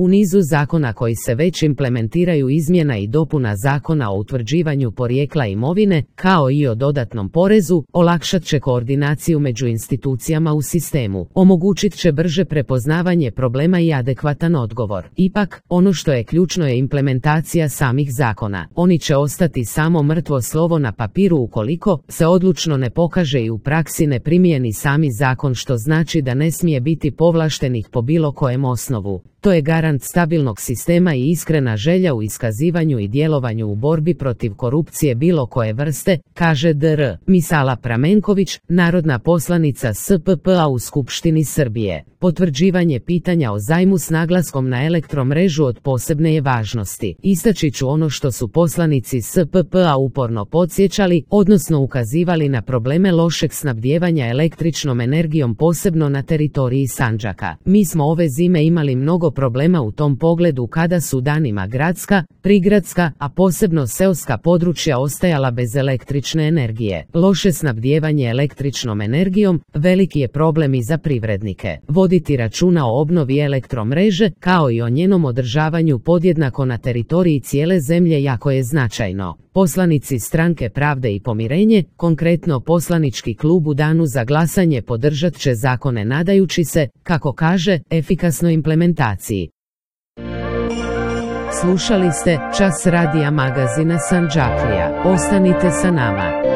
U nizu zakona koji se već implementiraju izmjena i dopuna Zakona o utvrđivanju porijekla imovine, kao i o dodatnom porezu, olakšat će koordinaciju među institucijama u sistemu, omogućit će brže prepoznavanje problema i adekvatan odgovor. Ipak, ono što je ključno je implementacija samih zakona. Oni će ostati samo mrtvo slovo na papiru ukoliko se odlučno ne pokaže i u praksi ne primijeni sami zakon, što znači da ne smije biti povlaštenih po bilo kojem osnovu. To je garant stabilnog sistema i iskrena želja u iskazivanju i djelovanju u borbi protiv korupcije bilo koje vrste, kaže dr. Misala Pramenković, narodna poslanica SPP-a u Skupštini Srbije. Potvrđivanje pitanja o zajmu s naglaskom na elektromrežu od posebne je važnosti. Istaći ću ono što su poslanici SPP-a uporno podsjećali, odnosno ukazivali na probleme lošeg snabdijevanja električnom energijom posebno na teritoriji Sandžaka. Mi smo ove zime imali mnogo problema u tom pogledu kada su danima gradska, prigradska, a posebno seoska područja ostajala bez električne energije. Loše snabdijevanje električnom energijom veliki je problem i za privrednike. Voditi računa o obnovi elektromreže, kao i o njenom održavanju podjednako na teritoriji cijele zemlje jako je značajno. Poslanici Stranke Pravde i pomirenje, konkretno poslanički klub u danu za glasanje podržat će zakone nadajući se, kako kaže, efikasnoj implementaciji. Slušali ste Čas radija magazina Sandžaklija. Ostanite sa nama.